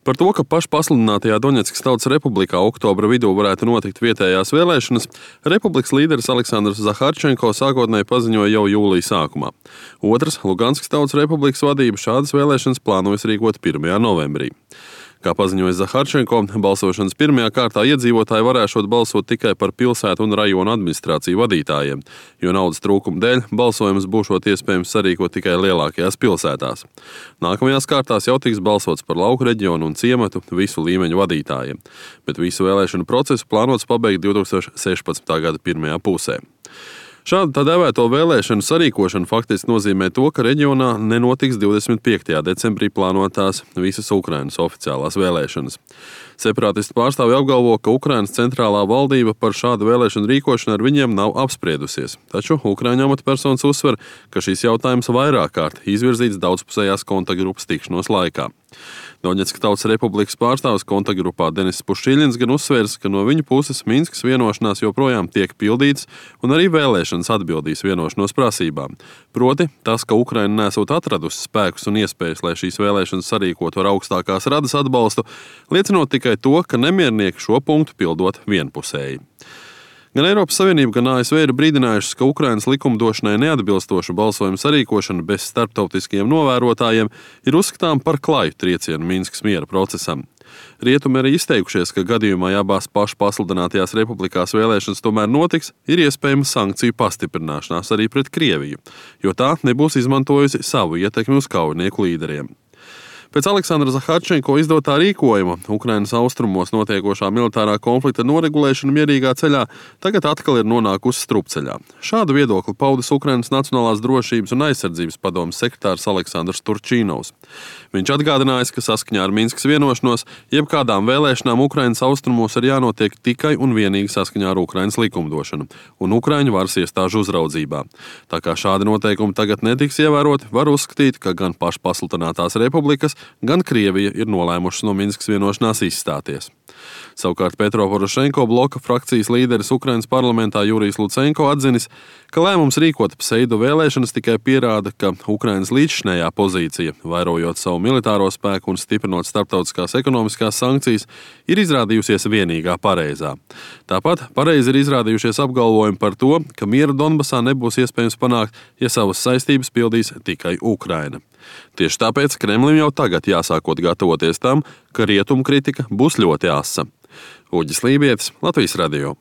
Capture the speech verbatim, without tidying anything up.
Par to, ka pašpasludinātajā Doņetskas Tautas Republikā oktobra vidū varētu notikt vietējās vēlēšanas, republikas līderis Aleksandrs Zaharčenko sākotnēji paziņoja jau jūlija sākumā. Otrs, Luganskas Tautas Republikas vadība šādas vēlēšanas plānojas rīkot pirmajā novembrī. Kā paziņoja Zaharčenko, balsošanas pirmajā kārtā iedzīvotāji varēšot balsot tikai par pilsētu un rajonu administrāciju vadītājiem, jo naudas trūkuma dēļ balsojums būšot iespējams sarīkot tikai lielākajās pilsētās. Nākamajās kārtās jau tiks balsots par lauku reģionu un ciematu visu līmeņu vadītājiem, bet visu vēlēšanu procesu plānots pabeigt divs tūkstoši sešpadsmitā gada pirmajā pusē. Šādu tā dēvēto vēlēšanu sarīkošanu faktiski nozīmē to, ka reģionā nenotiks divdesmit piektajā decembrī plānotās visas Ukrainas oficiālās vēlēšanas. Separātistu pārstāvji apgalvo, ka Ukrainas centrālā valdība par šādu vēlēšanu rīkošanu ar viņiem nav apspriedusies, taču Ukraiņu amatpersonas uzsver, ka šīs jautājums vairāk kārt izvirzīts daudzpusējās kontaktgrupas tikšanos laikā. Doņetskas Tautas Republikas pārstāvis kontaktgrupā Denis Pušķiļins gan uzsvērs, ka no viņa puses Minskas vienošanās joprojām tiek pildīts un arī vēlēšanas atbildīs vienošanos prasībām. Proti, tas, ka Ukraina nesot atradusi spēkus un iespējas, lai šīs vēlēšanas sarīkotu ar augstākās radas atbalstu, liecinot tikai to, ka nemiernieki šo punktu pildot vienpusēji. Gan Eiropas Savienība, gan A S V ir brīdinājušas, ka Ukrainas likumdošanai neatbilstošu balsojumu sarīkošana bez starptautiskiem novērotājiem ir uzskatām par klaju triecienu Minskas miera procesam. Rietumi arī izteikušies, ka gadījumā, ja abās pašpasludinātajās republikās vēlēšanas tomēr notiks, ir iespējama sankciju pastiprināšanās arī pret Krieviju, jo tā nebūs izmantojusi savu ietekmi uz kaujinieku līderiem. Pēc Aleksandra Zaharčenko izdotā rīkojuma Ukrainas austrumos notiekošā militārā konflikta noregulēšana mierīgā ceļā tagad atkal ir nonākusi strupceļā. Šādu viedokli paudis Ukrainas Nacionālās drošības un aizsardzības padomes sekretārs Aleksandrs Turčīnovs. Viņš atgādinājis, ka saskaņā ar Minskas vienošanos jebkādām vēlēšanām Ukrainas austrumos ir jānotiek tikai un vienīgi saskaņā ar Ukrainas likumdošanu un Ukraiņu varas iestāžu uzraudzībā. Tā kā šādi noteikumi tagad netiks ievēroti, var uzskatīt, ka gan pašpasludinātās republikas, gan Krievija ir nolēmušas no Minskas vienošanās izstāties. Savukārt Petro Porošenko bloka frakcijas līderis Ukrainas parlamentā Jurijs Lucenko atzinis, ka lēmums rīkot pseido vēlēšanas tikai pierāda, ka Ukrainas līdzšinējā pozīcija, vairojot savu militāro spēku un stiprinot starptautiskās ekonomiskās sankcijas, ir izrādījusies vienīgā pareizā. Tāpat pareizi ir izrādījušies apgalvojumi par to, ka miera Donbasā nebūs iespējams panākt, ja savas saistības pildīs tikai Ukraina. Tieši tāpēc Kremlim jau tagad jāsākot gatavoties tam, ka rietumu kritika būs ļoti asa. Uģis Lībietis, Latvijas radio.